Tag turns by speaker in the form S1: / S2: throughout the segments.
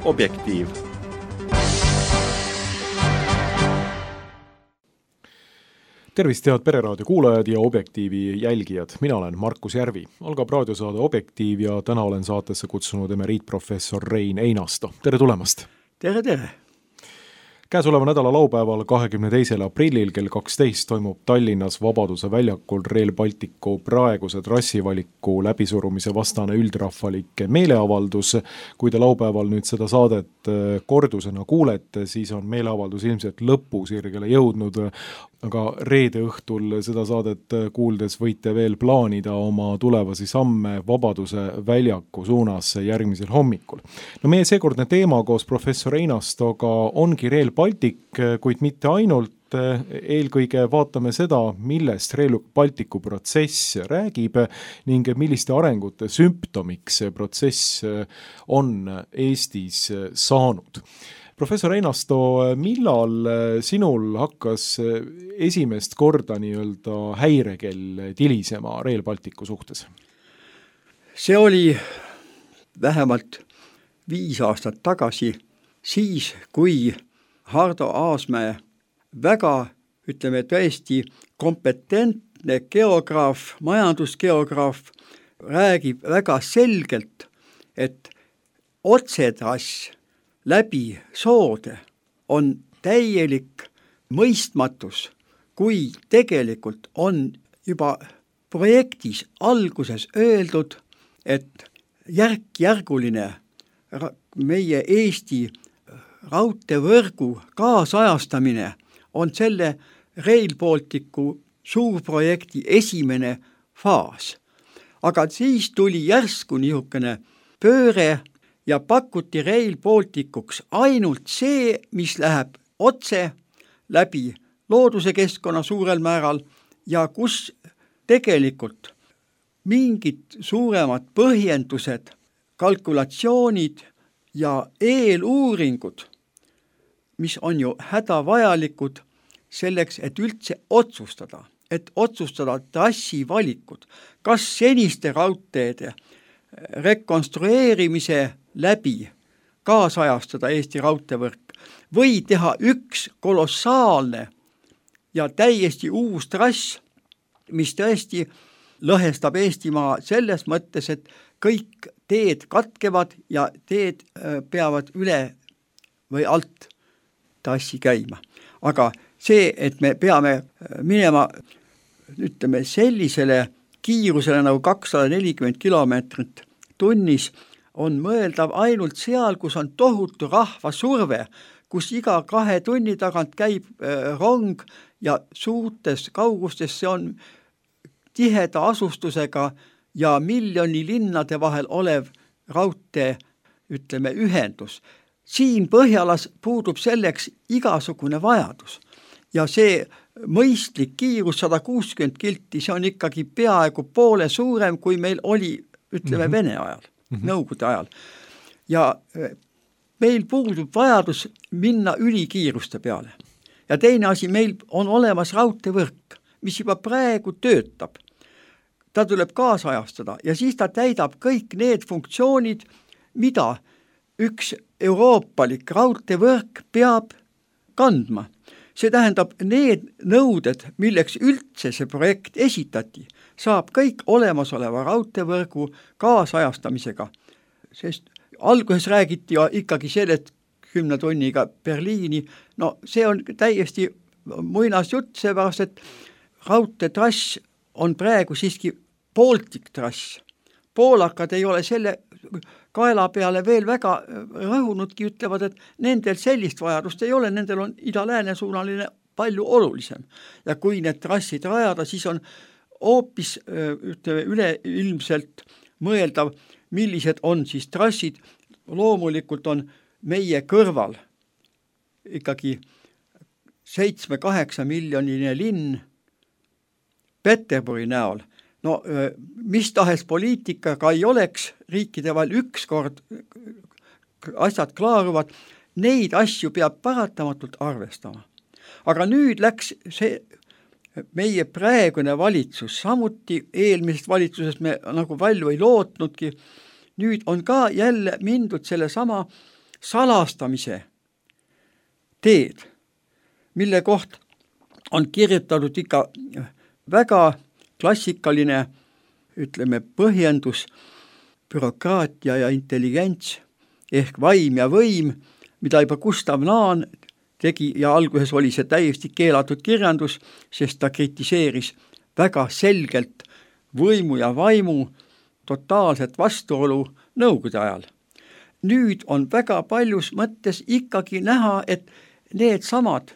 S1: Objektiiv.
S2: Tervist, head Pereraadio kuulajad ja Objektiivi jälgijad. Mina olen Markus Järvi. Algab raadiosaade Objektiiv ja täna olen saatesse kutsunud emeriitprofessor Rein Einasto. Tere tulemast!
S3: Tere!
S2: Käesoleva nädala laupäeval 22. aprillil kell 12 toimub Tallinnas Vabaduse väljakul Rail Balticu praeguse trassivaliku läbisurumise vastane üldrahvalik meeleavaldus. Kui te laupäeval nüüd seda saadet kordusena kuulete, siis on meeleavaldus ilmselt lõpusirgele jõudnud, aga reede õhtul seda saadet kuuldes võite veel plaanida oma tulevasi samme Vabaduse väljaku suunas järgmisel hommikul. No meie seekordne teema koos professor Einastoga ongi Rail Baltic, kuid mitte ainult. Eelkõige vaatame seda, millest Rail Balticu protsess räägib ning milliste arengute sümptomiks see protsess on Eestis saanud. Professor Einasto, millal sinul hakkas esimest korda häirekell tilisema Rail Balticu suhtes?
S3: See oli vähemalt 5 aastat tagasi, siis kui Hardo Aasmäe väga, ütleme tõesti, kompetentne geograaf, majandusgeograaf räägib väga selgelt, et otsetrass läbi soode on täielik mõistmatus, kui tegelikult on juba projektis alguses öeldud, et järk-järguline meie Eesti raudteevõrgu kaasajastamine on selle Rail Balticu suurprojekti esimene faas. Aga siis tuli järsku niisugune pööre ja pakuti Rail Balticuks ainult see, mis läheb otse läbi looduse keskkonna suurel määral ja kus tegelikult mingid suuremad põhjendused, kalkulatsioonid ja eeluuringud, mis on ju hädavajalikud selleks, et üldse otsustada trassi valikud, kas seniste raudteede rekonstrueerimise läbi kaasajastada Eesti raudteevõrk või teha üks kolossaalne ja täiesti uus trass, mis tõesti lõhestab Eestimaa selles mõttes, et kõik teed katkevad ja teed peavad üle või alt trassi käima. Aga see, et me peame minema, ütleme, sellisele kiirusele nagu 240 kilomeetrit tunnis, on mõeldav ainult seal, kus on tohutu rahvasurve, kus iga 2 tunni tagant käib rong ja suurtes kaugustes see on tiheda asustusega ja miljoni linnade vahel olev raudtee, ütleme, ühendus. Siin Põhjalas puudub selleks igasugune vajadus ja see mõistlik kiirus 160 kilti, see on ikkagi peaaegu poole suurem, kui meil oli, ütleme, Vene ajal, Nõukogude ajal. Ja meil puudub vajadus minna ülikiiruste peale. Ja teine asi, meil on olemas raudteevõrk, mis juba praegu töötab. Ta tuleb kaasajastada ja siis ta täidab kõik need funktsioonid, mida üks euroopalik raudteevõrk peab kandma. See tähendab, need nõuded, milleks üldse see projekt esitati, saab kõik olemasoleva raudteevõrgu kaasajastamisega. Sest alguses räägiti ikkagi sellest 10 tunniga Berliini, no see on täiesti muinas jutt, seepärast, et raudteetrass on praegu siiski Baltic trass. Poolakad ei ole selle kaela peale veel väga rõhunudki, ütlevad, et nendel sellist vajadust ei ole, nendel on ida-lääne suunaline palju olulisem. Ja kui need trassid rajada, siis on hoopis üleilmselt mõeldav, millised on siis trassid. Loomulikult on meie kõrval ikkagi 7-8 miljoniline linn Peterburi näol. No mis tahes poliitikaga ei oleks, riikide vahel ükskord asjad klaaruvad, neid asju peab paratamatult arvestama. Aga nüüd läks see meie praegune valitsus, samuti eelmisest valitsusest me nagu palju ei lootnudki, nüüd on ka jälle mindud selle sama salastamise teed, mille kohta on kirjutatud ikka väga klassikaline, ütleme, põhjendus, bürokraatia ja intelligents ehk vaim ja võim, mida juba Gustav Naan tegi ja alguses oli see täiesti keelatud kirjandus, sest ta kritiseeris väga selgelt võimu ja vaimu totaalset vastuolu nõukogude ajal. Nüüd on väga paljus mõttes ikkagi näha, et need samad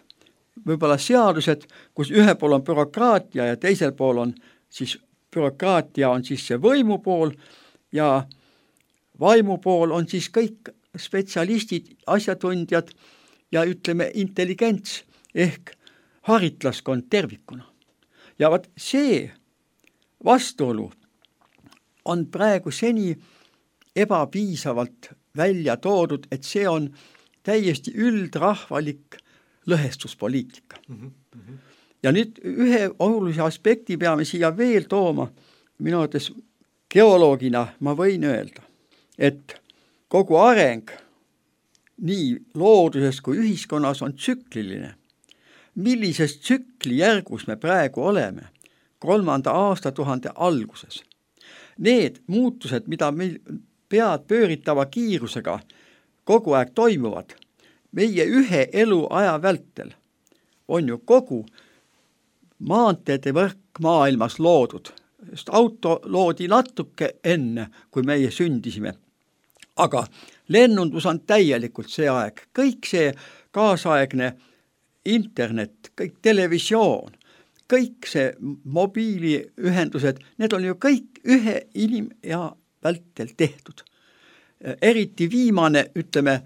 S3: võib-olla seadused, kus ühe pool on bürokraatia ja teisel pool on siis bürokraatia on siis see võimu pool ja vaimu pool on siis kõik spetsialistid, asjatundjad ja ütleme intelligents ehk haritlaskond tervikuna. Ja vaat see vastuolu on praegu seni ebapiisavalt välja toodud, et see on täiesti üldrahvalik lõhestuspoliitika. Ja nüüd ühe olulise aspekti peame siia veel tooma. Minu arvates geoloogina ma võin öelda, et kogu areng nii looduses kui ühiskonnas on tsükliline. Millises tsüklijärgus me praegu oleme 3. aastatuhande alguses? Need muutused, mida meil pead pööritava kiirusega kogu aeg toimuvad, meie ühe eluaja vältel on ju kogu maanteede võrk maailmas loodud. Just auto loodi natuke enne, kui meie sündisime. Aga lennundus on täielikult see aeg. Kõik see kaasaegne internet, kõik televisioon, kõik see mobiiliühendused, need on ju kõik ühe inimea vältel tehtud. Eriti viimane, ütleme,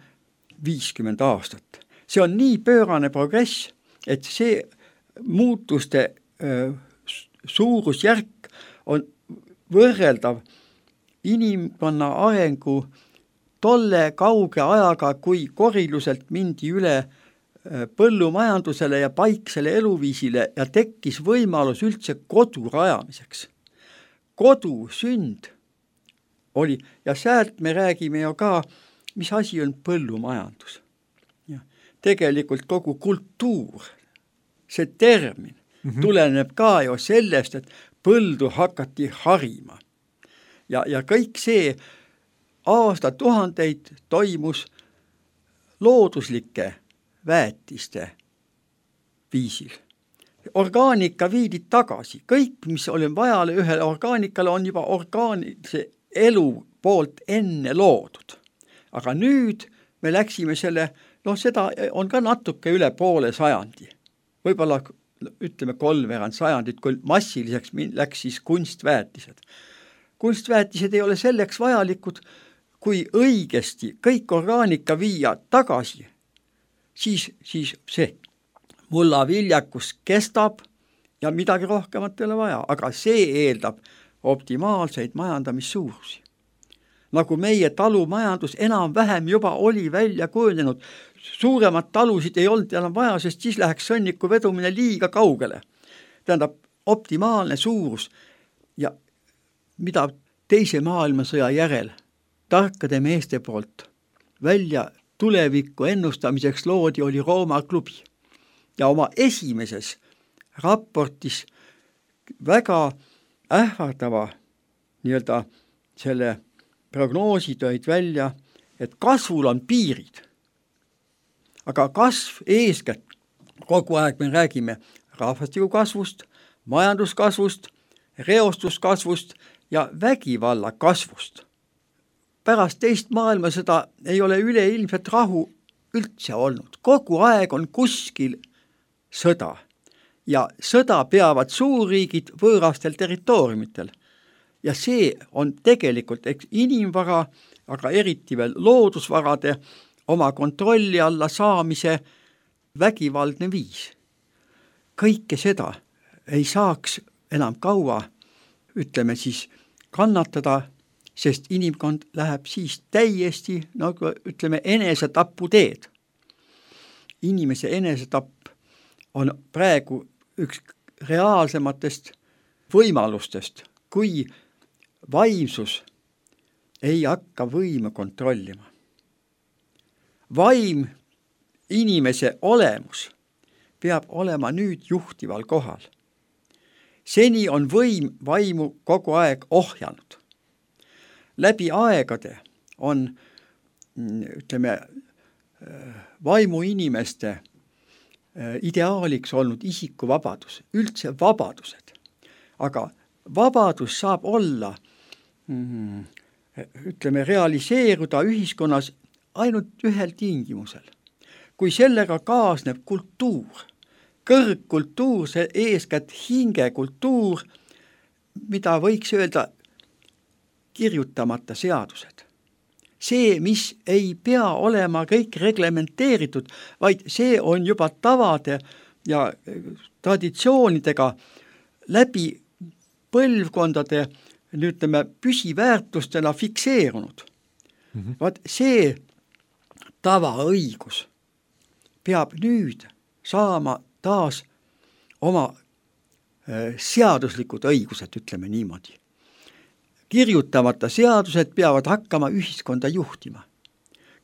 S3: 50 aastat. See on nii pöörane progress, et see muutuste suurusjärk on võrreldav inimkonna arengu tolle kauge ajaga, kui koriluselt mindi üle põllumajandusele ja paiksele eluviisile ja tekkis võimalus üldse kodu rajamiseks. Kodu sünd oli, ja sealt me räägime ju ka, mis asi on põllumajandus. Ja tegelikult kogu kultuur, see termin, tuleneb ka ju sellest, et põldu hakati harima. Ja kõik see aastatuhandeid toimus looduslike väetiste viisil. Orgaanika viidi tagasi. Kõik, mis oli vaja ühele orgaanikale, on juba orgaanilise elu poolt enne loodud. Aga nüüd me läksime selle, seda on ka natuke üle poole sajandi. Võib-olla ütleme 3 sajandit, kui massiliseks läks siis kunstväetised. Kunstväetised ei ole selleks vajalikud, kui õigesti kõik orgaanika viia tagasi, siis see mullaviljakus kestab ja midagi rohkemat ei ole vaja, aga see eeldab optimaalseid majandamissuurusi. Nagu meie talumajandus enam-vähem juba oli välja kujunenud, suuremad talusid ei olnud enam vaja, sest siis läheks sõnniku vedumine liiga kaugele. Tähendab, optimaalne suurus ja mida teise maailmasõja järel tarkade meeste poolt välja tulevikku ennustamiseks loodi, oli Rooma klubi. Ja oma esimeses raportis väga ähvardava nii-öelda selle prognoosi tõid välja, et kasvul on piirid. Aga kasv eeskätt, kogu aeg me räägime rahvastiku kasvust, majanduskasvust, reostuskasvust ja vägivalla kasvust. Pärast teist maailmasõda ei ole üleilmset rahu üldse olnud. Kogu aeg on kuskil sõda ja sõda peavad suurriigid võõrastel territooriumitel. Ja see on tegelikult inimvara, aga eriti veel loodusvarade oma kontrolli alla saamise vägivaldne viis. Kõike seda ei saaks enam kaua, ütleme siis, kannatada, sest inimkond läheb siis täiesti, nagu ütleme, enesetapu teed. Inimese enesetapp on praegu üks reaalsematest võimalustest, kui vaimsus ei hakka võime kontrollima. vaim, inimese olemus peab olema nüüd juhtival kohal. Seni on võim vaimu kogu aeg ohjanud. Läbi aegade on, ütleme, vaimu inimeste ideaaliks olnud isikuvabadus, üldse vabadused. Aga vabadus saab olla, ütleme, realiseeruda ühiskonnas ainult ühel tingimusel. Kui sellega kaasneb kultuur, kõrgkultuur, see eeskätt hingekultuur, mida võiks öelda kirjutamata seadused. See, mis ei pea olema kõik reglementeeritud, vaid see on juba tavade ja traditsioonidega läbi põlvkondade, ütleme, püsiväärtustena fikseerunud. Vaat see tavaõigus peab nüüd saama taas oma seaduslikud õigused, ütleme niimoodi. Kirjutamata seadused peavad hakkama ühiskonda juhtima.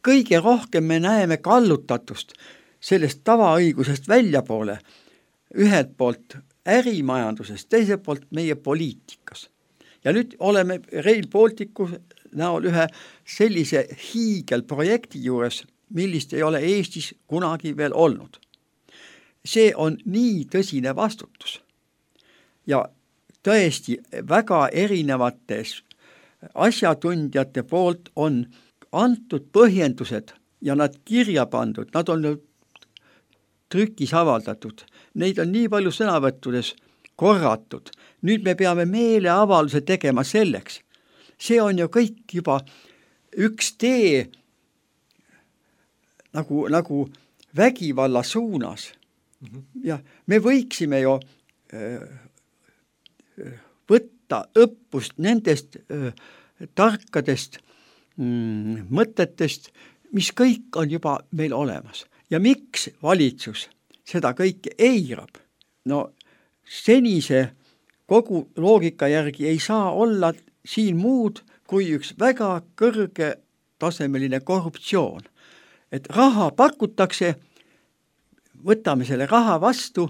S3: Kõige rohkem me näeme kallutatust sellest tavaõigusest väljapoole, ühelt poolt ärimajandusest, teiselt poolt meie poliitikas. Ja nüüd oleme Rail Balticu näol ühe sellise hiigelprojekti juures, millist ei ole Eestis kunagi veel olnud. See on nii tõsine vastutus. Ja tõesti väga erinevates asjatundjate poolt on antud põhjendused ja nad kirja pandud, nad on trükis avaldatud, neid on nii palju sõnavõttudes korratud. Nüüd me peame meeleavalduse tegema selleks. See on ju kõik juba üks tee nagu vägivalla suunas. Ja me võiksime ju võtta õppust nendest tarkadest mõtetest, mis kõik on juba meil olemas. Ja miks valitsus seda kõike eirab? No senise kogu loogika järgi ei saa olla siin muud kui üks väga kõrge tasemeline korruptsioon. Et raha pakutakse, võtame selle raha vastu,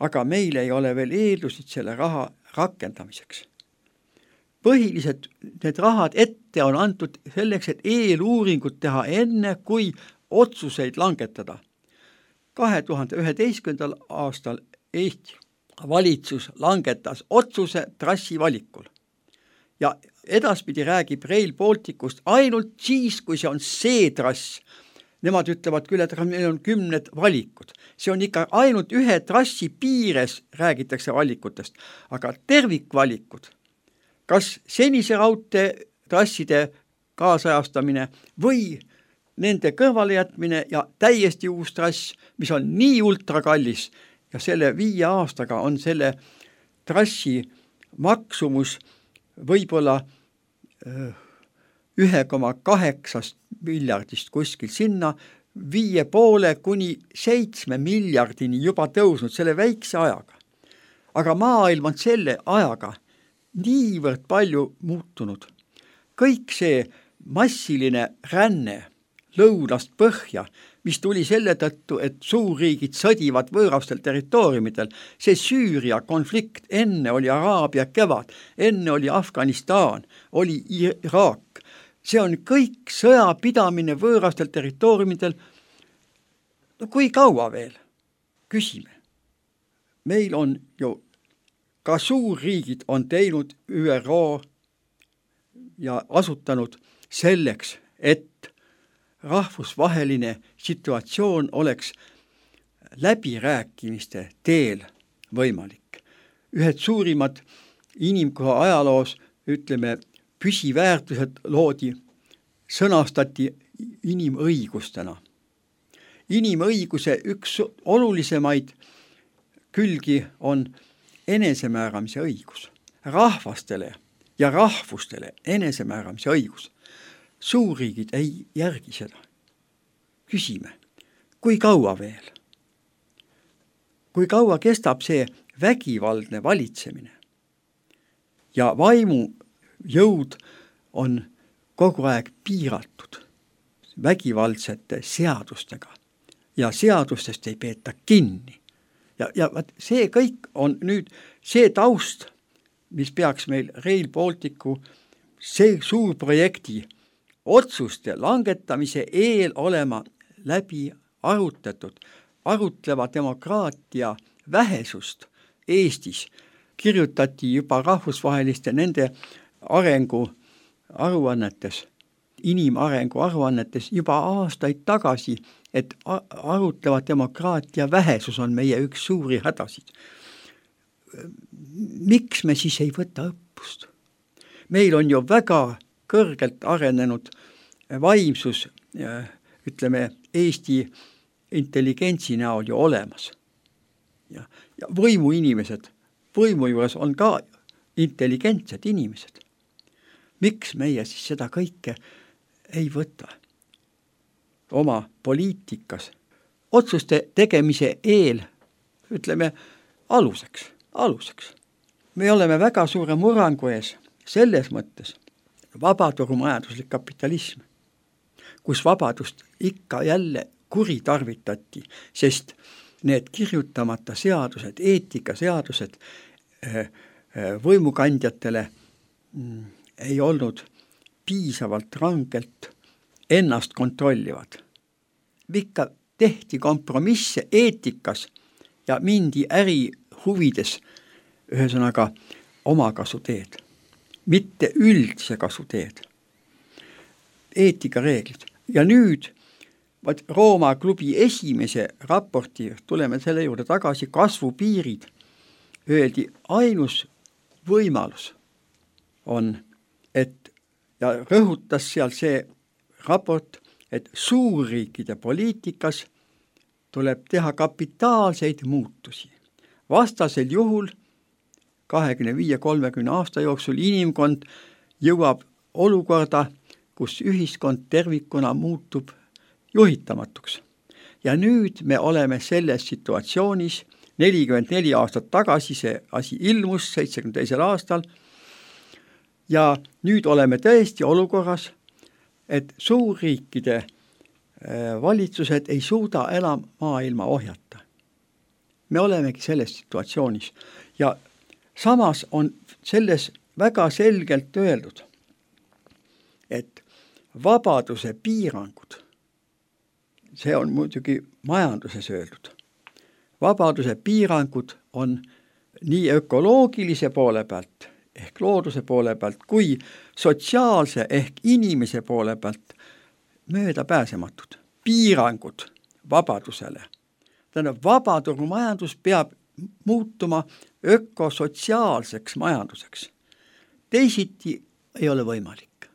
S3: aga meil ei ole veel eeldusid selle raha rakendamiseks. Põhiliselt need rahad ette on antud selleks, et eeluuringut teha enne, kui otsuseid langetada. 2011. aastal Eesti valitsus langetas otsuse trassi valikul. Ja edaspidi räägib Rail Balticust ainult siis, kui see on see trass. Nemad ütlevad küll, et meil on 10 valikud. See on ikka ainult ühe trassi piires räägitakse valikutest, aga tervikvalikud, kas senise raudtee trasside kaasajastamine või nende kõrvalejätmine ja täiesti uus trass, mis on nii ultrakallis ja selle 5 aastaga on selle trassi maksumus võib-olla 1,8 miljardist kuskil sinna 5,5 kuni 7 miljardini juba tõusnud selle väikse ajaga. Aga maailm on selle ajaga niivõrd palju muutunud. Kõik see massiline ränne lõunast põhja, mis tuli selle tõttu, et suurriigid sõdivad võõrastel territooriumidel. See Süüria konflikt, enne oli Araabia kevad, enne oli Afganistan, oli Iraak. See on kõik sõjapidamine võõrastel territooriumidel. No kui kaua veel? Küsime. Meil on ju ka suurriigid on teinud ÜRO ja asutanud selleks, et rahvusvaheline situatsioon oleks läbirääkimiste teel võimalik. Ühed suurimad inimkoha ajaloos, ütleme, püsiväärtused loodi, sõnastati inimõigustena. Inimõiguse üks olulisemaid külgi on enesemääramise õigus. Rahvastele ja rahvustele enesemääramise õigus. Suurriigid ei järgi seda. Küsime, kui kaua veel? Kui kaua kestab see vägivaldne valitsemine? Ja vaimu jõud on kogu aeg piiratud. vägivaldsete seadustega ja seadustest ei peeta kinni. Ja see kõik on nüüd see taust, mis peaks meil Rail Balticu see suur projekti otsuste langetamise eel olema läbi arutatud. Arutleva demokraatia vähesust Eestis kirjutati juba rahvusvaheliste nende arengu aruannetes, inimarengu aruannetes juba aastaid tagasi, et arutleva demokraatia vähesus on meie üks suuri hädasid. Miks me siis ei võta õppust? Meil on ju väga kõrgelt arenenud vaimsus, ütleme, Eesti intelligentsi näol ju olemas. Ja võimuinimesed, võimu juures on ka intelligentsed inimesed. Miks meie siis seda kõike ei võta oma poliitikas otsuste tegemise eel, ütleme, aluseks. Me oleme väga suure murrangu ees selles mõttes vabaturumajanduslik kapitalism, kus vabadust ikka jälle kuritarvitati, sest need kirjutamata seadused, eetikaseadused võimukandjatele ei olnud piisavalt rangelt ennast kontrollivad. Ikka tehti kompromisse eetikas ja mindi äri huvides, ühesõnaga omakasu teed, mitte üldse kasu teed. Eetikareeglid. Ja nüüd Rooma klubi esimese raporti, tuleme selle juurde tagasi, kasvupiirid, öeldi ainus võimalus on, et ja rõhutas seal see raport, et suurriikide poliitikas tuleb teha kapitaalseid muutusi. Vastasel juhul 25-30 aasta jooksul inimkond jõuab olukorda, kus ühiskond tervikuna muutub juhitamatuks. Ja nüüd me oleme selles situatsioonis, 44 aastat tagasi see asi ilmus 72. aastal, ja nüüd oleme tõesti olukorras, et suurriikide valitsused ei suuda enam maailma ohjata. Me olemegi selles situatsioonis ja samas on selles väga selgelt öeldud, et vabaduse piirangud, see on muidugi majanduses öeldud, vabaduse piirangud on nii ökoloogilise poole pealt ehk looduse poole pealt kui sotsiaalse ehk inimese poole pealt möödapääsematud. Piirangud vabadusele. Tähendab, vabaturumajandus peab muutuma ökosotsiaalseks majanduseks. Teisiti ei ole võimalik.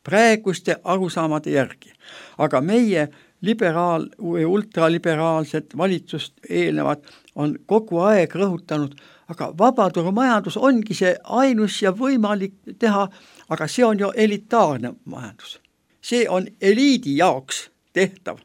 S3: Praeguste arusaamade järgi. Aga meie või ultraliberaalsed valitsust eelnevad on kogu aeg rõhutanud, aga vabaturumajandus ongi see ainus ja võimalik teha, aga see on ju elitaarne majandus. See on eliidi jaoks tehtav.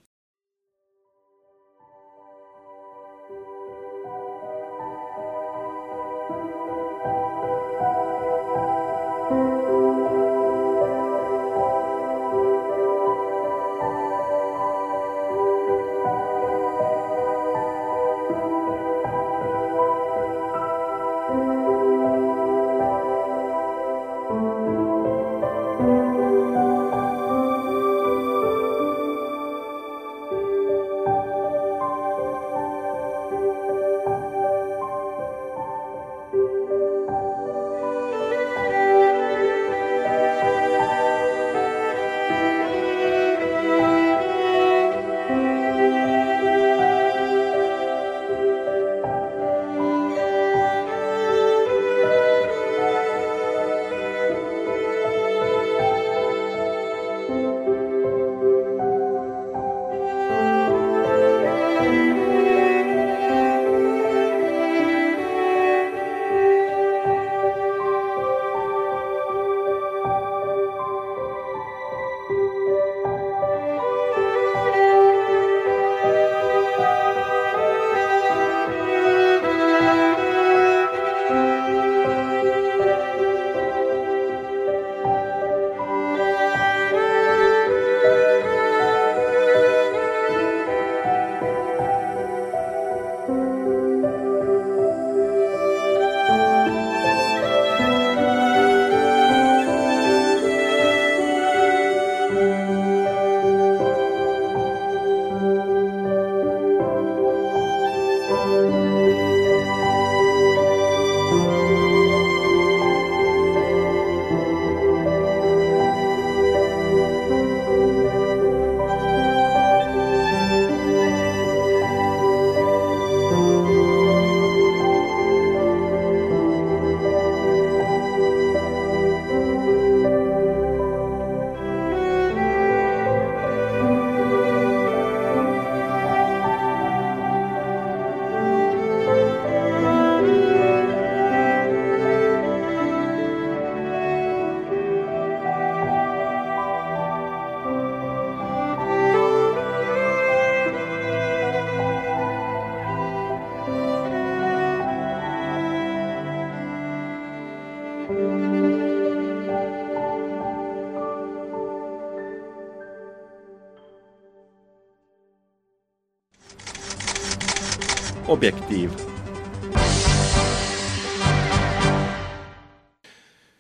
S3: Objektiiv.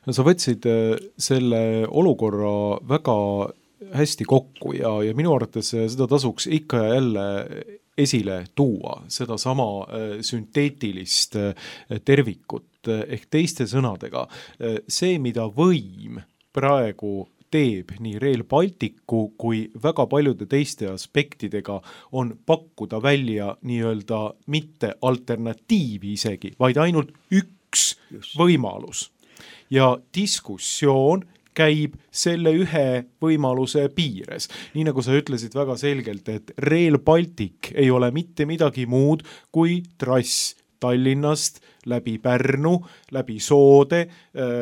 S2: No sa võtsid selle olukorra väga hästi kokku ja minu arvates seda tasuks ikka ja jälle esile tuua, seda sama sünteetilist tervikut, ehk teiste sõnadega. See, mida võim praegu teeb nii Rail Balticu kui väga paljude teiste aspektidega, on pakkuda välja nii-öelda mitte alternatiivi isegi, vaid ainult üks võimalus. Ja diskussioon käib selle ühe võimaluse piires. Nii nagu sa ütlesid väga selgelt, et Rail Baltic ei ole mitte midagi muud kui trass Tallinnast läbi Pärnu, läbi Soode,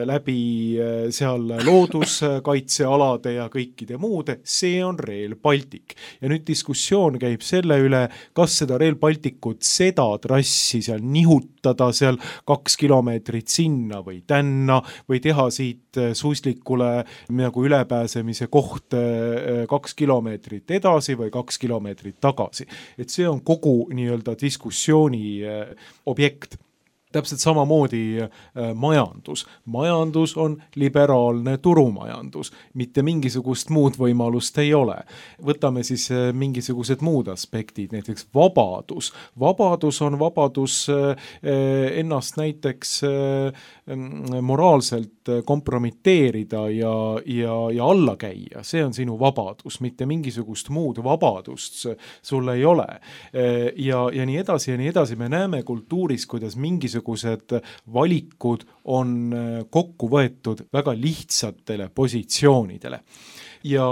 S2: läbi seal looduskaitsealade ja kõikide muude, see on Rail Baltic. Ja nüüd diskussioon käib selle üle, kas seda Rail Balticut, seda trassi seal nihutada seal 2 kilomeetrit sinna või tänna või teha siit suislikule nagu ülepääsemise koht 2 kilomeetrit edasi või 2 kilomeetrit tagasi. Et see on kogu nii-öelda diskussiooni objekt. Täpselt samamoodi majandus. Majandus on liberaalne turumajandus. Mitte mingisugust muud võimalust ei ole. Võtame siis mingisugused muud aspektid, näiteks vabadus. Vabadus on vabadus ennast näiteks moraalselt kompromiteerida ja alla käia. See on sinu vabadus, mitte mingisugust muud vabadust sul ei ole. Ja nii edasi ja nii edasi. Me näeme kultuuris, kuidas mingisugused valikud on kokku võetud väga lihtsatele positsioonidele. Ja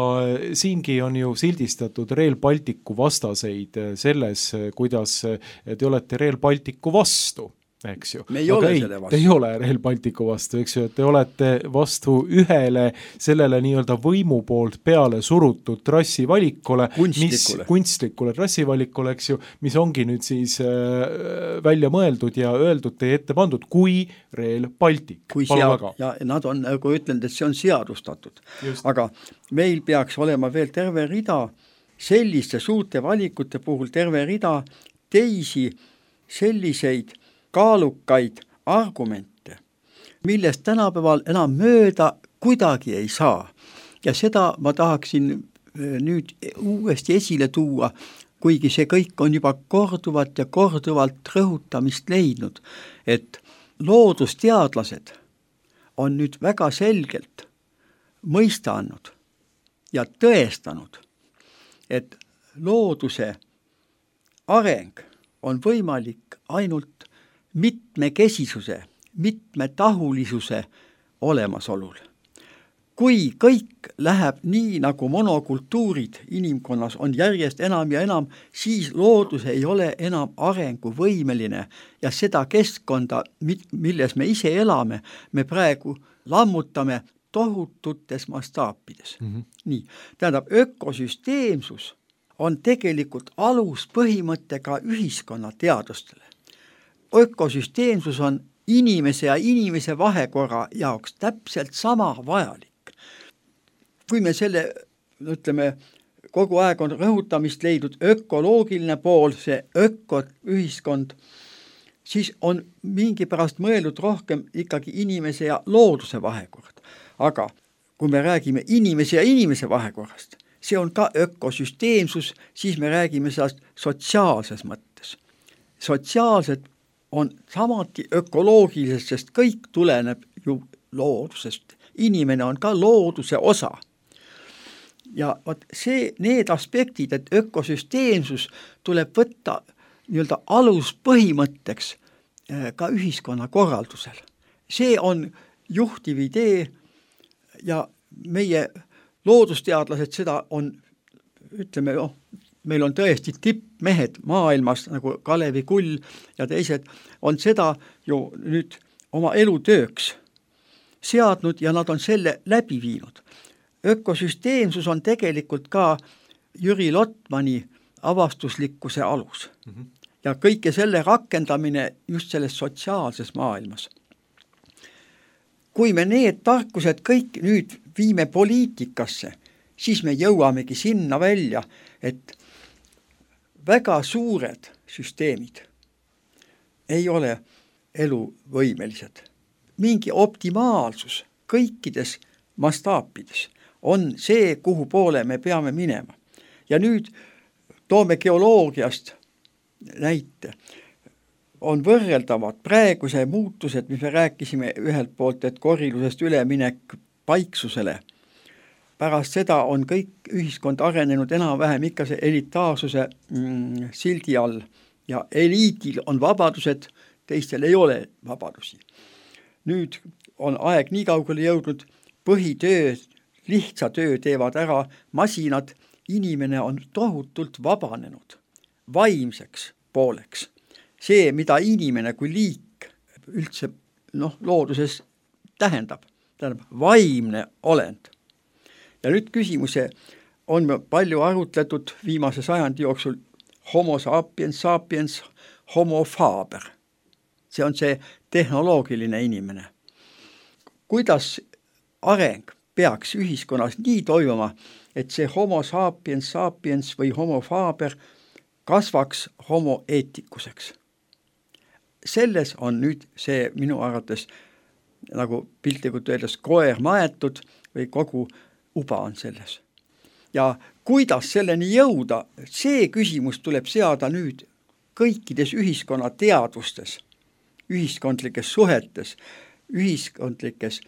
S2: siingi on ju sildistatud Rail Balticu vastaseid selles, kuidas te olete Rail Balticu vastu. Eks ju.
S3: Me ei ole selle vastu.
S2: Te ei ole Rail Balticu vastu, eks ju, et te olete vastu ühele sellele nii-öelda võimu poolt peale surutud trassivalikule, kunstlikule trassivalikule, eks ju, mis ongi nüüd siis välja mõeldud ja öeldud teie ette pandud kui Rail Baltic.
S3: Ja nad on, nagu ütlenud, et see on seadustatud. Just. Aga meil peaks olema veel terve rida selliste suurte valikute puhul, terve rida teisi selliseid kaalukaid argumente, millest tänapäeval enam mööda kuidagi ei saa. Ja seda ma tahaksin nüüd uuesti esile tuua, kuigi see kõik on juba korduvalt ja korduvalt rõhutamist leidnud, et loodusteadlased on nüüd väga selgelt mõista andnud ja tõestanud, et looduse areng on võimalik ainult mitmekesisuse, mitmetahulisuse olemasolul. Kui kõik läheb nii, nagu monokultuurid inimkonnas on järjest enam ja enam, siis loodus ei ole enam arenguvõimeline ja seda keskkonda, milles me ise elame, me praegu lammutame tohututes mastaapides. Nii, tähendab, ökosüsteemsus on tegelikult aluspõhimõte ka ühiskonna teadustele. Ökosüsteemsus on inimese ja inimese vahekorra jaoks täpselt sama vajalik. Kui me selle, ütleme, kogu aeg on rõhutamist leidnud ökoloogiline pool, see ökoühiskond, siis on mingi pärast mõeldud rohkem ikkagi inimese ja looduse vahekord. Aga kui me räägime inimese ja inimese vahekorrast, see on ka ökosüsteemsus, siis me räägime sellest sotsiaalses mõttes. Sotsiaalsed on samati ökoloogilisest, sest kõik tuleneb ju loodusest. Inimene on ka looduse osa. Ja need aspektid, et ökosüsteemsus tuleb võtta nii-öelda aluspõhimõtteks ka ühiskonna korraldusel. See on juhtiv idee ja meie loodusteadlased seda on, ütleme, meil on tõesti tippmehed maailmas, nagu Kalevi Kull ja teised, on seda ju nüüd oma elutööks seadnud ja nad on selle läbi viinud. Ökosüsteemsus on tegelikult ka Jüri Lotmani avastuslikkuse alus. Ja kõike selle rakendamine just selles sotsiaalses maailmas. Kui me need tarkused kõik nüüd viime poliitikasse, siis me jõuamegi sinna välja, et väga suured süsteemid ei ole eluvõimelised. Mingi optimaalsus kõikides mastaapides on see, kuhu poole me peame minema. Ja nüüd toome geoloogiast näite. On võrreldavad praeguse muutused, mis me rääkisime ühelt poolt, et korilusest üleminek paiksusele. Pärast seda on kõik ühiskond arenenud enam-vähem ikka see elitaarsuse sildi all ja eliidil on vabadused, teistel ei ole vabadusi. Nüüd on aeg nii kaugele jõudnud, põhitöö, lihtsa töö teevad ära masinad, inimene on tohutult vabanenud vaimseks pooleks. See, mida inimene kui liik üldse looduses tähendab vaimne olend. Ja nüüd küsimuse on palju arutletud viimase sajandi jooksul homo sapiens, homo faber. See on see tehnoloogiline inimene. Kuidas areng peaks ühiskonnas nii toimuma, et see homo sapiens või homo faber kasvaks homo eetikuseks? Selles on nüüd see minu arvates nagu piltlikult öeldes koer maetud või kogu uba on selles. Ja kuidas selleni jõuda, see küsimus tuleb seada nüüd kõikides ühiskonna teadvustes, ühiskondlikes suhetes, ühiskondlikes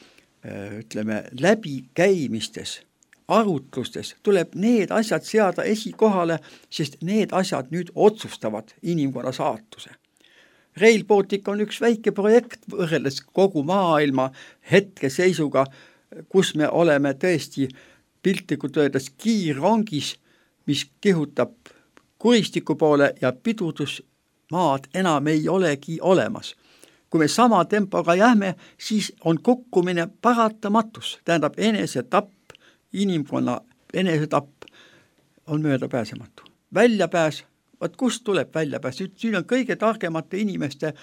S3: läbikäimistes, arutlustes tuleb need asjad seada esikohale, sest need asjad nüüd otsustavad inimkonna saatuse. Rail Baltic on üks väike projekt võrreldes kogu maailma hetkeseisuga, kus me oleme tõesti piltlikult öeldes kiirrongis, mis kihutab kuristiku poole ja pidurdusmaad enam ei olegi olemas. Kui me sama tempoga jääme, siis on kukkumine paratamatus. Tähendab, enesetapp, inimkonna enesetapp on möödapääsematu. Väljapääs, kust tuleb väljapääs? Siin on kõige targemate inimeste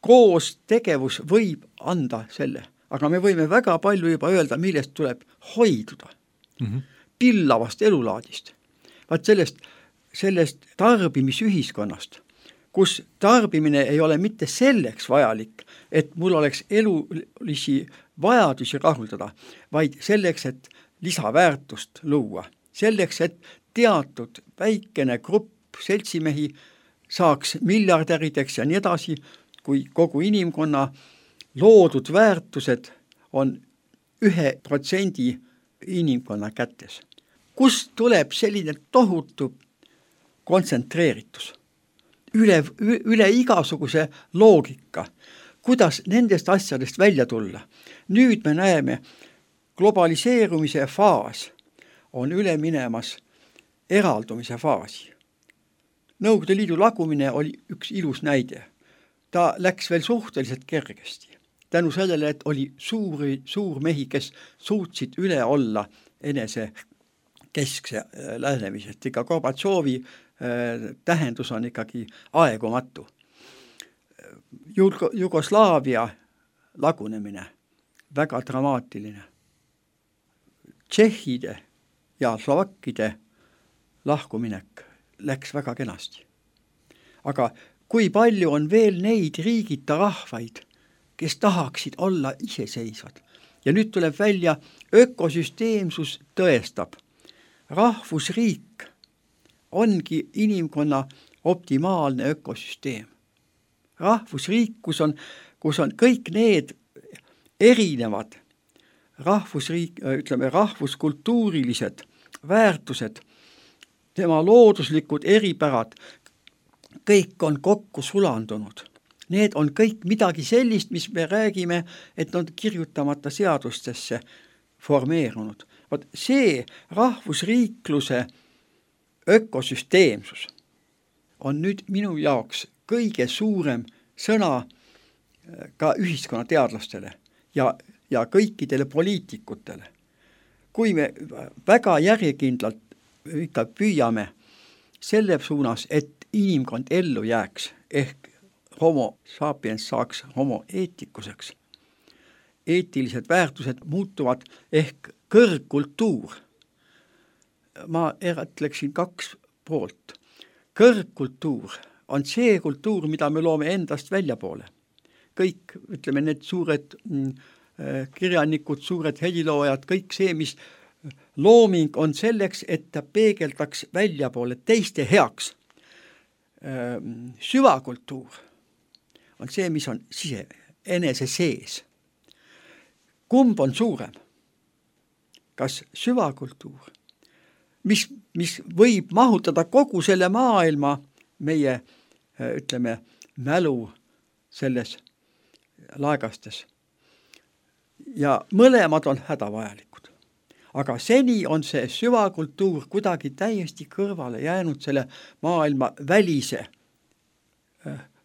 S3: koos tegevus võib anda selle. Aga me võime väga palju juba öelda, millest tuleb hoiduda. Pillavast elulaadist. Vaat sellest tarbimisühiskonnast, kus tarbimine ei ole mitte selleks vajalik, et mul oleks elulisi vajadusi rahuldada, vaid selleks, et lisaväärtust luua. Selleks, et teatud väikene grupp seltsimehi saaks miljardärideks ja nii edasi, kui kogu inimkonna loodud väärtused on 1% inimkonna kätes. Kust tuleb selline tohutu kontsentreeritus? Üle igasuguse loogika. Kuidas nendest asjadest välja tulla? Nüüd me näeme, globaliseerumise faas on üle minemas eraldumise faasi. Nõukogude Liidu lagumine oli üks ilus näide. Ta läks veel suhteliselt kergesti. Tänu sellele, et oli suurmehi, kes suutsid üle olla enese keskse lähenemisest. Ikka Gorbatšovi tähendus on ikkagi aegumatu. Jugoslaavia lagunemine, väga dramaatiline. Tšehhide ja slovakkide lahkuminek läks väga kenasti. Aga kui palju on veel neid riigita rahvaid, kes tahaksid olla iseseisvad? Ja nüüd tuleb välja, ökosüsteemsus tõestab. Rahvusriik ongi inimkonna optimaalne ökosüsteem. Rahvusriik, kus on kõik need erinevad rahvuskultuurilised väärtused, tema looduslikud eripärad, kõik on kokku sulandunud. Need on kõik midagi sellist, mis me räägime, et on kirjutamata seadustesse formeerunud. See rahvusriikluse ökosüsteemsus on nüüd minu jaoks kõige suurem sõna ka ühiskonnateadlastele ja kõikidele poliitikutele. Kui me väga järjekindlalt ikka püüame selle suunas, et inimkond ellu jääks, ehk homo sapiens saaks homo eetikuseks. Eetilised väärtused muutuvad ehk kõrgkultuur. Ma eratleksin 2 poolt. Kõrgkultuur on see kultuur, mida me loome endast väljapoole. Kõik, ütleme, need suured kirjanikud, suured heliloojad, kõik see, mis looming on selleks, et ta peegeldaks väljapoole teiste heaks. Süvakultuur on see, mis on enese sees. Kumb on suurem? Kas süvakultuur, mis võib mahutada kogu selle maailma meie, ütleme, mälu selles laegastes. Ja mõlemad on hädavajalikud. Aga seni on see süvakultuur kuidagi täiesti kõrvale jäänud selle maailma välise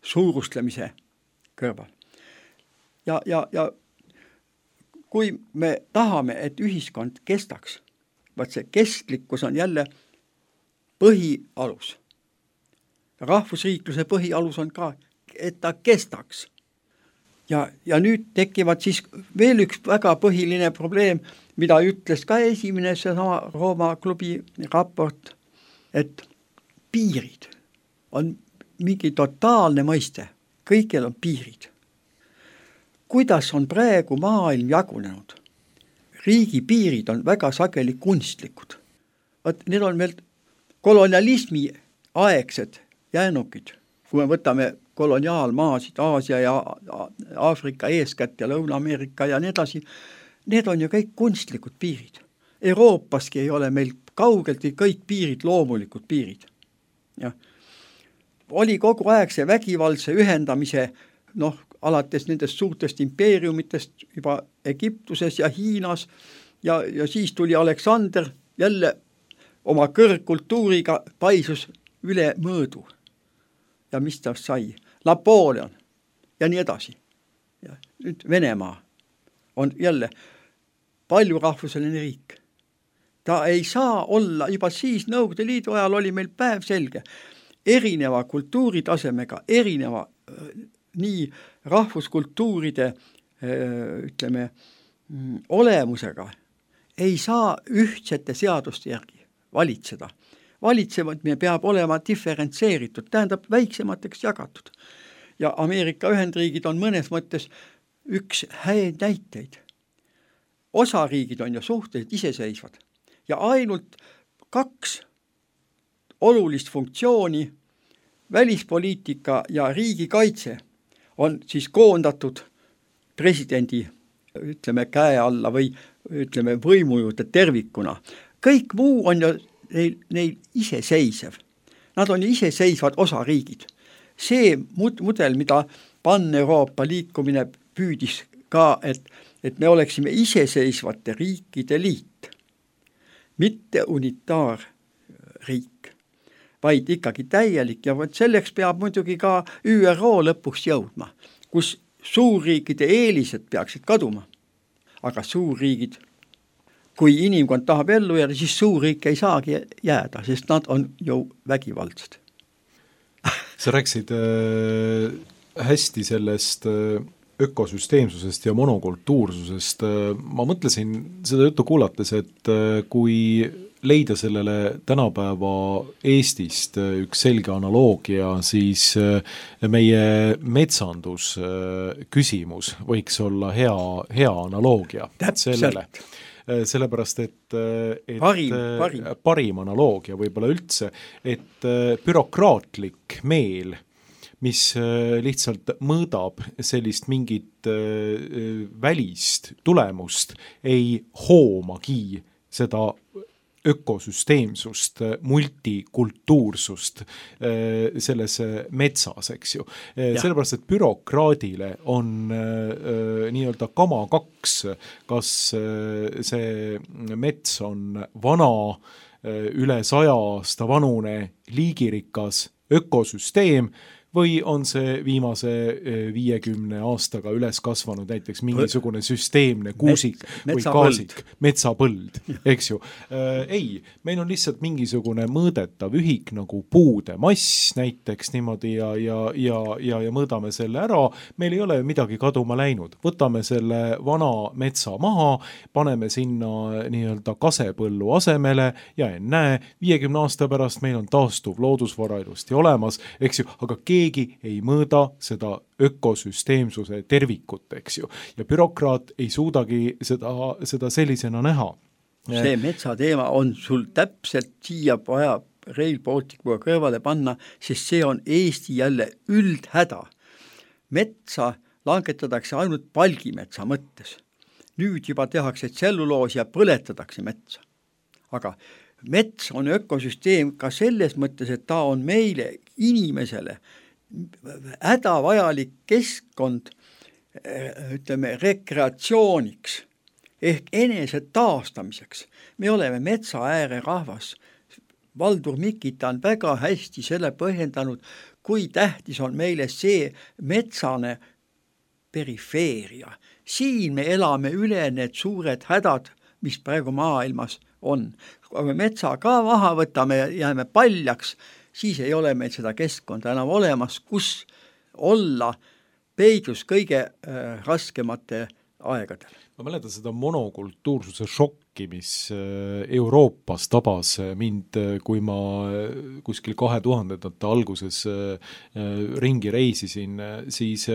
S3: suurustlemise kõrval. Ja kui me tahame, et ühiskond kestaks, vaat see kestlikkus on jälle põhialus. Rahvusriikluse põhialus on ka, et ta kestaks. Ja nüüd tekivad siis veel üks väga põhiline probleem, mida ütles ka esimene seesama Rooma klubi raport, et piirid on mingi totaalne mõiste. Kõigil on piirid. Kuidas on praegu maailm jagunenud? Riigi piirid on väga sageli kunstlikud. Need on veel kolonialismi aegsed jäänukid. Kui me võtame koloniaalmaasid, Aasia ja Aafrika eeskätt ja Lõuna-Ameerika ja nii edasi, need on ju kõik kunstlikud piirid. Euroopaski ei ole meil kaugeltki kõik piirid loomulikud piirid. Ja. Oli kogu aeg see vägivaldse ühendamise, alates nendest suurtest impeeriumitest juba Egiptuses ja Hiinas ja siis tuli Aleksander jälle oma kõrgkultuuriga paisus üle mõõdu. Ja mis ta sai? Napoleon ja nii edasi. Ja nüüd Venemaa on jälle paljurahvuseline riik. Ta ei saa olla, juba siis Nõukogude Liidu ajal oli meil päev selge, erineva kultuuritasemega, erineva nii rahvuskultuuride, ütleme, olemusega ei saa ühtsete seaduste järgi valitseda. Valitsevad me peab olema diferentseeritud, tähendab väiksemateks jagatud. Ja Ameerika Ühendriigid on mõnes mõttes üks häid näiteid. Osariigid on ju suhteliselt iseseisvad ja ainult 2 olulist funktsiooni, välispoliitika ja riigikaitse, on siis koondatud presidendi, ütleme, käe alla või ütleme, võimujuurde tervikuna. Kõik muu on ju neil iseseisev. Nad on iseseisvad osariigid. See mudel, mida Pan-Euroopa liikumine püüdis ka, et me oleksime iseseisvate riikide liit, mitte unitaarriik, vaid ikkagi täielik ja selleks peab muidugi ka ÜRO lõpuks jõudma, kus suurriikide eelised peaksid kaduma. Aga suurriigid, kui inimkond tahab ellu jääda, siis suurriik ei saagi jääda, sest nad on ju vägivaldsed.
S2: Sa rääksid hästi sellest ökosüsteemsusest ja monokultuursusest. Ma mõtlesin seda juttu kuulates, et kui leida sellele tänapäeva Eestist üks selge analoogia, siis meie metsandus küsimus võiks olla hea analoogia sellele. Sellepärast, et parim analoogia võib-olla üldse, et bürokraatlik meel, mis lihtsalt mõõdab sellist mingit välist tulemust, ei hoomagi seda ökosüsteemsust, multikultuursust selles metsas, eks ju. Sellepärast, et bürokraadile on nii-öelda kama 2, kas see mets on vana, üle 100 aasta vanune, liigirikas ökosüsteem või on see viimase 50 aastaga üles kasvanud näiteks mingisugune süsteemne kuusik või kaasik, metsapõld, eks ju. Ei, meil on lihtsalt mingisugune mõõdetav ühik nagu puude mass näiteks niimoodi ja mõõdame selle ära, meil ei ole midagi kaduma läinud. Võtame selle vana metsa maha, paneme sinna nii-öelda kasepõllu asemele ja ennäe, 50 aasta pärast meil on taastuv loodusvara ilusti olemas, eks ju, aga keegi ei mõõda seda ökosüsteemsuse tervikut, eks ju. Ja bürokraat ei suudagi seda sellisena näha.
S3: See metsateema on sul täpselt siia vaja Rail Balticuga kõrvale panna, sest see on Eesti jälle üldhäda. Metsa langetatakse ainult palgimetsa mõttes. Nüüd juba tehakse tselluloos ja põletatakse metsa. Aga mets on ökosüsteem ka selles mõttes, et ta on meile, inimesele, hädavajalik keskkond, ütleme, rekreatsiooniks ehk enese taastamiseks. Me oleme metsa ääre rahvas. Valdur Mikita on väga hästi selle põhjendanud, kui tähtis on meile see metsane perifeeria. Siin me elame üle need suured hädad, mis praegu maailmas on. Kui me metsa ka maha võtame ja jääme paljaks, siis ei ole meil seda keskkonda enam olemas, kus olla peidus kõige raskemate aegadel.
S2: Ma mäletan seda monokultuursuse šokki, mis Euroopas tabas mind, kui ma kuskil 2000-ndate alguses ringi reisisin, siis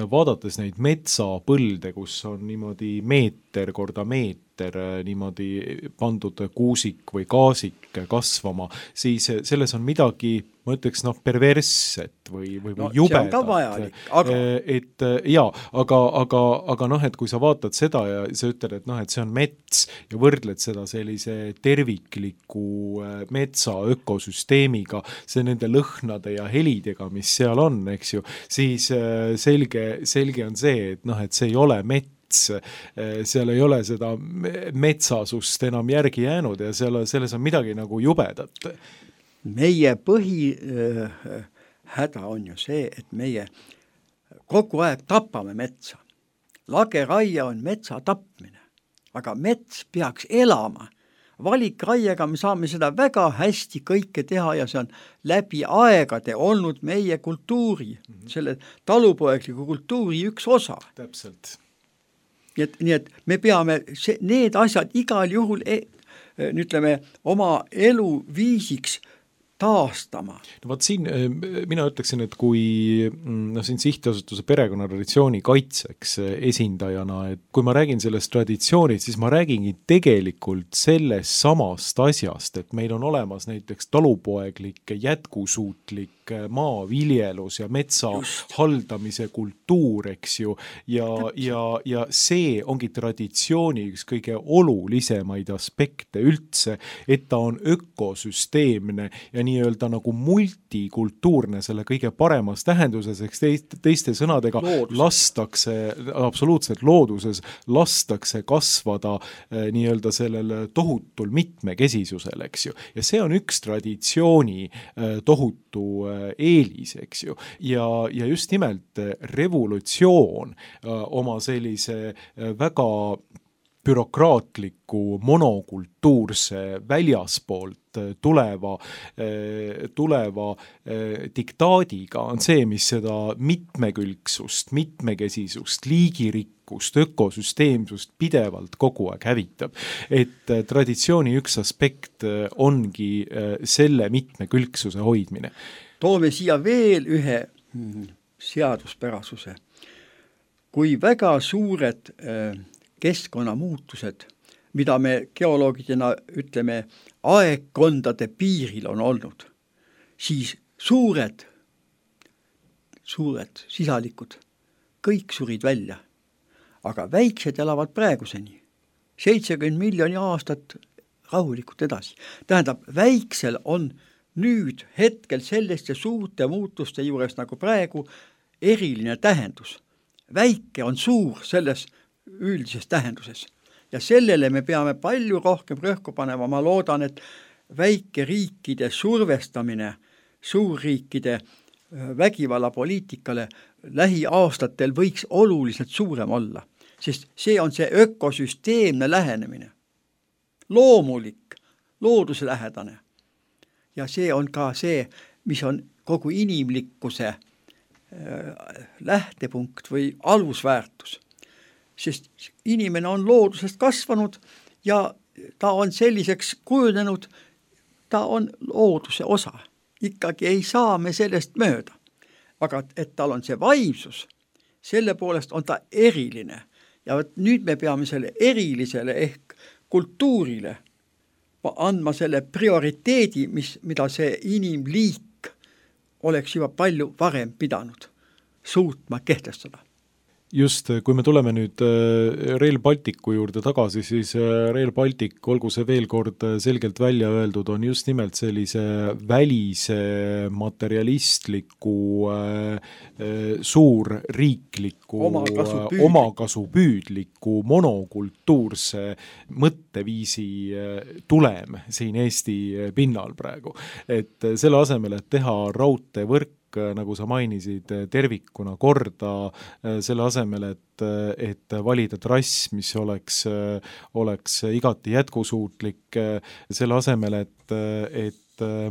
S2: vaadates neid metsapõlde, kus on niimoodi meeter korda meeter niimoodi pandud kuusik või kaasik kasvama, siis selles on midagi, ma ütleks, perversset või jubedat.
S3: See on ka vajalik, aga...
S2: aga et kui sa vaatad seda ja sa ütled, et see on mets ja võrdled seda sellise tervikliku metsa ökosüsteemiga, see nende lõhnade ja helidega, mis seal on, eks ju, siis selge on see, et see ei ole mets, seal ei ole seda metsasust enam järgi jäänud ja selles on midagi nagu jubedat.
S3: Meie häda on ju see, et meie kogu aeg tapame metsa. Lageraie on metsa tapmine, aga mets peaks elama. Valikraiega me saame seda väga hästi kõike teha ja see on läbi aegade olnud meie kultuuri, selle talupoegliku kultuuri üks osa.
S2: Täpselt.
S3: Nii et me peame need asjad igal juhul ütleme, oma eluviisiks taastama.
S2: No vaat siin mina ütleksin, et kui siin sihtasutuse perekonnatraditsiooni kaitseks esindajana, et kui ma räägin sellest traditsioonist, siis ma räägingi tegelikult sellest samast asjast, et meil on olemas näiteks talupoeglik jätkusuutlik maaviljelus ja metsa haldamise kultuur, eks ju, ja see ongi traditsiooni üks kõige olulisemaid aspekte üldse, et ta on ökosüsteemne ja nii-öelda nagu multikultuurne selle kõige paremas tähenduses, eks teiste sõnadega lastakse, absoluutselt looduses, lastakse kasvada nii-öelda sellel tohutul mitmekesisusel, eks ju. Ja see on üks traditsiooni tohutu eelis, eks ju. Ja just nimelt revolutsioon oma sellise väga bürokraatliku monokultuurse väljaspoolt tuleva diktaadiga on see, mis seda mitmekülgsust, mitmekesisust, liigirikkust, ökosüsteemsust pidevalt kogu aeg hävitab. Et traditsiooni üks aspekt ongi selle mitmekülgsuse hoidmine.
S3: Toome siia veel ühe seaduspärasuse. Kui väga suured keskkonnamuutused, mida me geoloogidena ütleme aegkondade piiril on olnud, siis suured sisalikud kõik surid välja. Aga väiksed elavad praeguseni. 70 miljoni aastat rahulikult edasi. Tähendab, väiksel on nüüd hetkel selliste suurte muutuste juures nagu praegu eriline tähendus. Väike on suur selles üldises tähenduses. Ja sellele me peame palju rohkem rõhku panema. Ma loodan, et väikeriikide survestamine suurriikide vägivallapoliitikale lähiaastatel võiks oluliselt suurem olla, sest see on see ökosüsteemne lähenemine. Loomulik, looduslähedane. Ja see on ka see, mis on kogu inimlikkuse lähtepunkt või alusväärtus. Sest inimene on loodusest kasvanud ja ta on selliseks kujunenud, ta on looduse osa. Ikkagi ei saa me sellest mööda. Aga et tal on see vaimsus, selle poolest on ta eriline. Ja nüüd me peame selle erilisele ehk kultuurile andma selle prioriteedi, mida see inimliik oleks juba palju varem pidanud suutma kehtestada.
S2: Just, kui me tuleme nüüd Rail Balticu juurde tagasi, siis Rail Baltic, olgu see veel kord selgelt välja öeldud, on just nimelt sellise välise materialistliku suurriikliku omakasupüüdliku monokultuurse mõtteviisi tulem siin Eesti pinnal praegu. Et selle asemel, et teha raudteevõrk, nagu sa mainisid, tervikuna korda, selle asemel, et valida trass, mis oleks igati jätkusuutlik, selle asemel, et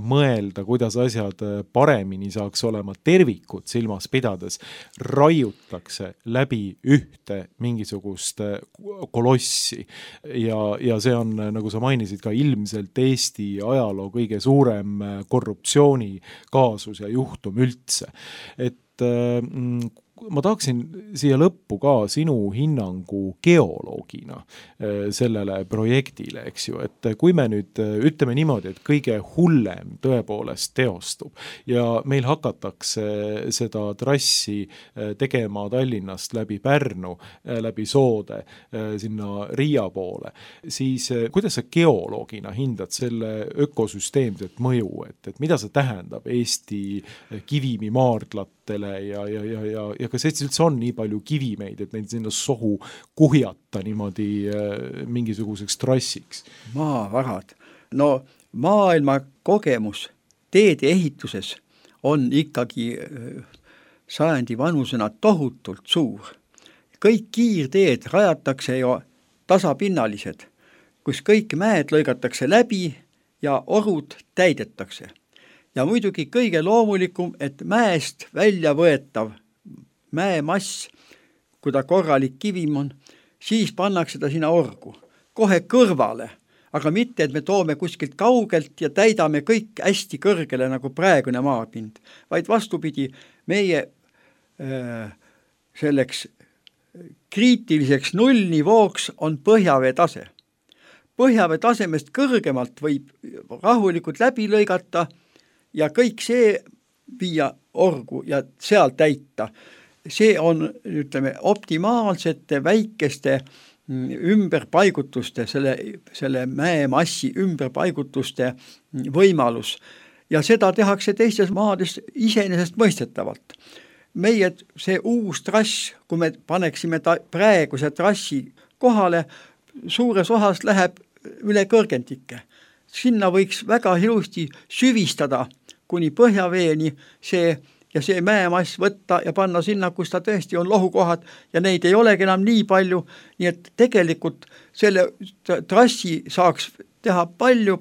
S2: mõelda, kuidas asjad paremini saaks olema tervikut silmas pidades, raiutakse läbi ühte mingisugust kolossi. Ja see on, nagu sa mainisid, ka ilmselt Eesti ajaloo kõige suurem korruptsiooni kaasus ja juhtum üldse. Et ma tahaksin siia lõppu ka sinu hinnangu geoloogina sellele projektile, eks ju, et kui me nüüd ütleme niimoodi, et kõige hullem tõepoolest teostub ja meil hakatakse seda trassi tegema Tallinnast läbi Pärnu, läbi Soode, sinna Riia poole, siis kuidas sa geoloogina hindad selle ökosüsteemset mõju, et mida see tähendab Eesti kivimimaardlatele ja kas Eestis üldse on nii palju kivimeid, et neid sinna sohu kuhjata niimoodi mingisuguseks trassiks?
S3: Maavarad. No maailma kogemus teede ehituses on ikkagi sajandi vanusena tohutult suur. Kõik kiirteed rajatakse ju tasapinnalised, kus kõik mäed lõigatakse läbi ja orud täidetakse. Ja muidugi kõige loomulikum, et mäest välja võetav mäemass, kui ta korralik kivim on, siis pannakse ta sinna orgu, kohe kõrvale, aga mitte, et me toome kuskilt kaugelt ja täidame kõik hästi kõrgele nagu praegune maapind, vaid vastupidi, meie selleks kriitiliseks nullnivooks on põhjavee tase. Põhjavee tasemest kõrgemalt võib rahulikult läbi lõigata ja kõik see viia orgu ja seal täita. See on, ütleme, optimaalsete väikeste ümberpaigutuste, selle mäemassi ümberpaigutuste võimalus. Ja seda tehakse teistes maades iseenesest mõistetavalt. Meie see uus trass, kui me paneksime praeguse trassi kohale, suures osas läheb üle kõrgendike. Sinna võiks väga ilusti süvistada kuni põhjaveeni see ja see mäemass võtta ja panna sinna, kus ta tõesti on lohukohad ja neid ei olegi enam nii palju, nii et tegelikult selle trassi saaks teha palju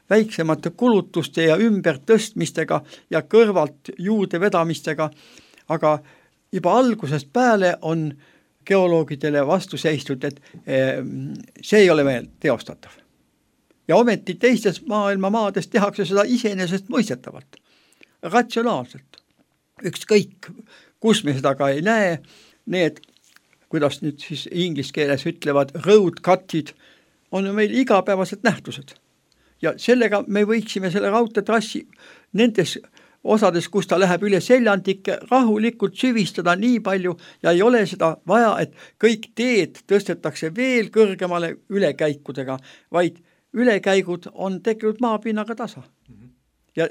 S3: väiksemate kulutuste ja ümbertõstmistega ja kõrvalt juurde vedamistega, aga juba algusest peale on geoloogidele vastu seistud, et see ei ole veel teostatav. Ja ometi teistes maailma maades tehakse seda iseenesest mõistetavalt, ratsionaalselt. Ükskõik, kus me seda ka ei näe, need, kuidas nüüd siis inglise keeles ütlevad, road cutid, on ju meil igapäevased nähtused. Ja sellega me võiksime selle raudteetrassi nendes osades, kus ta läheb üle seljandike, rahulikult süvistada nii palju ja ei ole seda vaja, et kõik teed tõstetakse veel kõrgemale ülekäikudega, vaid ülekäigud on tegelikult maapinnaga tasa. Ja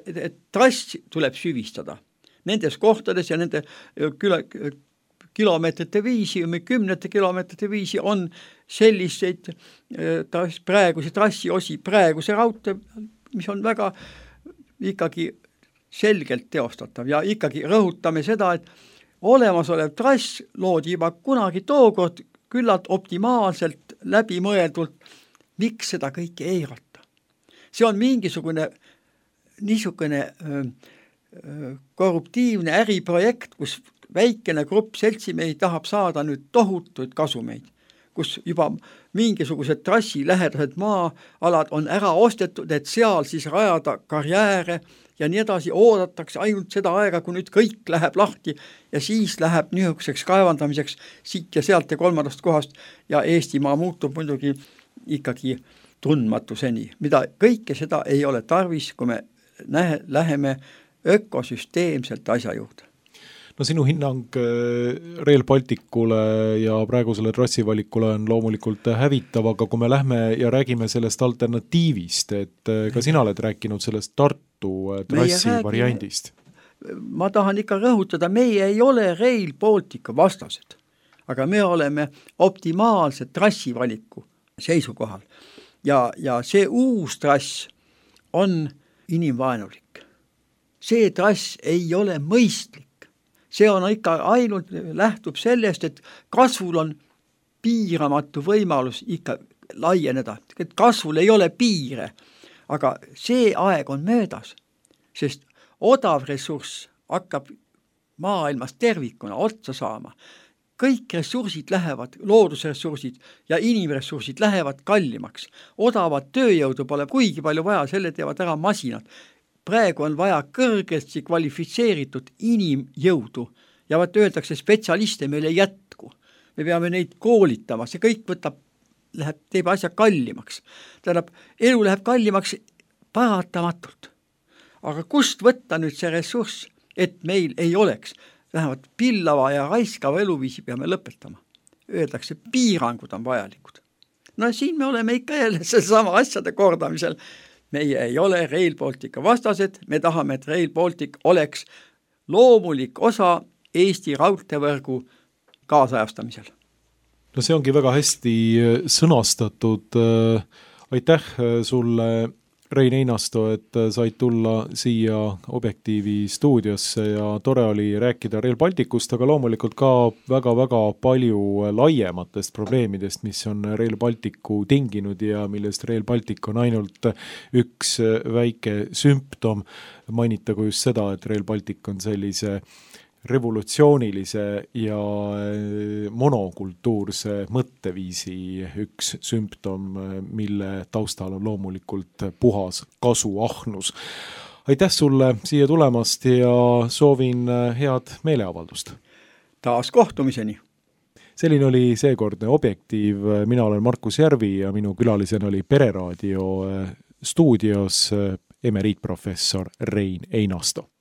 S3: trass tuleb süvistada nendes kohtades ja nende kilomeetrite viisi või 10 kilomeetrite viisi on selliseid praeguse trassi osi, praeguse raudtee, mis on väga ikkagi selgelt teostatav ja ikkagi rõhutame seda, et olemasolev trass loodi juba kunagi tookord küllalt optimaalselt läbimõeldult, miks seda kõike eirata. See on mingisugune niisugune korruptiivne äriprojekt, kus väikene grupp seltsimehi tahab saada nüüd tohutuid kasumeid, kus juba mingisugused trassi lähedased maa-alad on ära ostetud, et seal siis rajada karjääre ja nii edasi, oodatakse ainult seda aega, kui nüüd kõik läheb lahti ja siis läheb niisuguseks kaevandamiseks siit ja sealt ja kolmandast kohast ja Eestimaa muutub muidugi ikkagi tundmatuseni, mida kõike seda ei ole tarvis, kui me läheme ökosüsteemselt asja juurde.
S2: No sinu hinnang Rail Balticule ja praegusele trassivalikule on loomulikult hävitav, aga kui me lähme ja räägime sellest alternatiivist, et ka sina oled rääkinud sellest Tartu trassi variandist.
S3: Ma tahan ikka rõhutada, meie ei ole Rail Baltica vastased, aga me oleme optimaalse trassivaliku seisukohal. Ja see uus trass on inimvaenulik. See trass ei ole mõistlik. See on ikka ainult lähtub sellest, et kasvul on piiramatu võimalus ikka laieneda. Et kasvul ei ole piire, aga see aeg on möödas, sest odav ressurss hakkab maailmas tervikuna otsa saama. Kõik ressursid lähevad, loodusressursid ja inimressursid lähevad kallimaks. Odavat tööjõudu pole kuigi palju vaja, selle teevad ära masinad. Praegu on vaja kõrgesti kvalifitseeritud inimjõudu ja öeldakse, spetsialiste meil ei jätku. Me peame neid koolitama, see kõik teeb asja kallimaks. Tähendab, elu läheb kallimaks paratamatult. Aga kust võtta nüüd see ressurss, et meil ei oleks? Vähemalt pillava ja raiskava eluviisi peame lõpetama. Öeldakse, piirangud on vajalikud. No siin me oleme ikka jälle sama asjade kordamisel. Meie ei ole Rail Baltica vastased, me tahame, et Rail Baltic oleks loomulik osa Eesti raudteevõrgu kaasajastamisel.
S2: No see ongi väga hästi sõnastatud. Aitäh sulle, Rein Einasto, et said tulla siia Objektiivi stuudiosse ja tore oli rääkida Rail Balticust, aga loomulikult ka väga-väga palju laiematest probleemidest, mis on Rail Balticu tinginud ja millest Rail Baltic on ainult üks väike sümptom. Mainitagu just seda, et Rail Baltic on sellise revolutsioonilise ja monokultuurse mõtteviisi üks sümptom, mille taustal on loomulikult puhas kasuahnus. Aitäh sulle siia tulemast ja soovin head meeleavaldust.
S3: Taas kohtumiseni.
S2: Selline oli seekordne Objektiiv. Mina olen Markus Järvi ja minu külalisena oli Pereraadio stuudios emeriitprofessor Rein Einasto.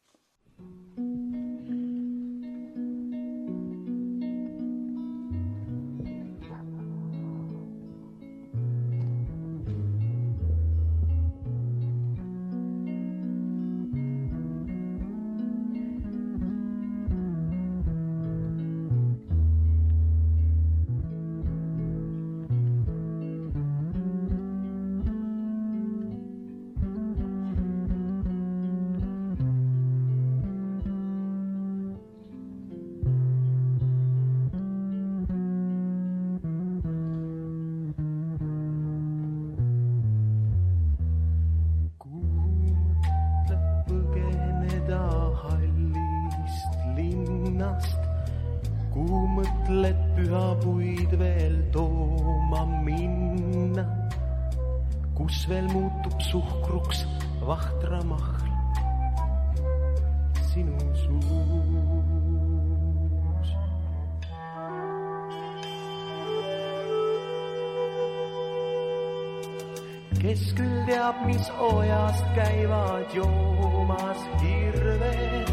S1: Kes küll teab, mis ojast käivad joomas hirved,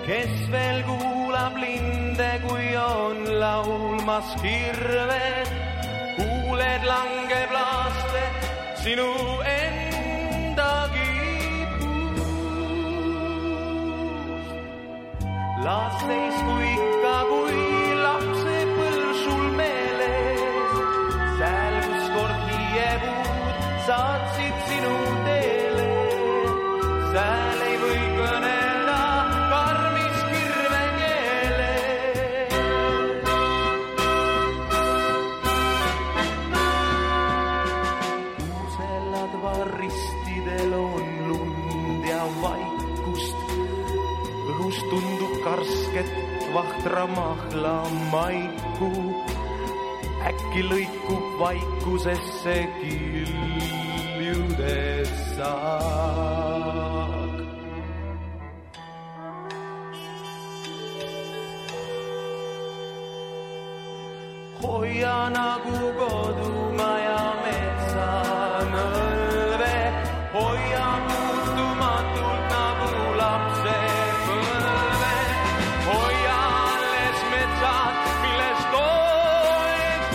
S1: kes veel kuulab linde, kui on laulmas hirved, kuuled langeb laaste sinu endagi puust. Laastes kui ikka, kui lapse põlsul meeles, sääl kus kord hiiepuud saatsid sinu teele, sääl ei või kõnelda kus tundub karsket vahtra mahla maiku. Äkki lõikub vaikusesse kiljudes saak. Hoia nagu kodumaja metsanõlve, hoia muutumatult nagu lapse põlve, hoia alles metsad, millest toetustab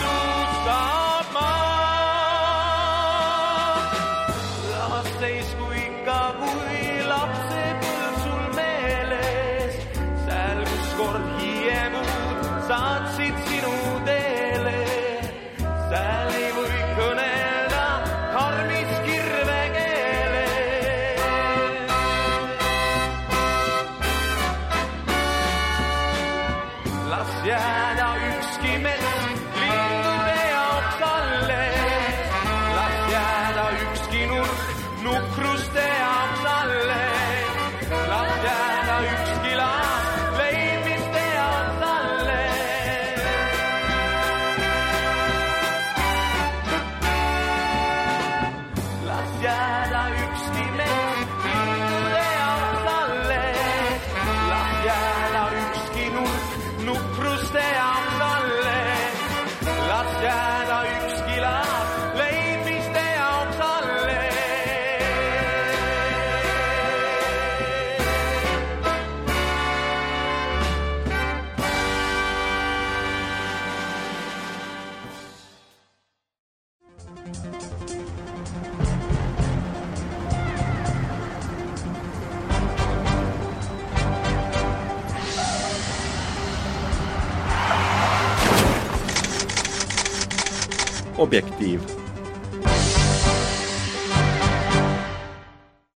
S1: maa. Las seisku ikka, kui lapse põlv sul meeles, sääl kus kord hiiemud saatsid sinu teele. Sääl ei või kõnelda karmis kirvekeele. Las jääda ükski mets lindude jaoks alles. Las jääda ükski nurk nukruste jaoks alles. Las jääda ükski laas leidmiste jaoks alles. Las jääda ükski mets lindude jaoks alles. Las jääda ükski nurk nukruste jaoks alles. Las jääda ükski laas leidmiste jaoks alles.
S4: Objektiiv.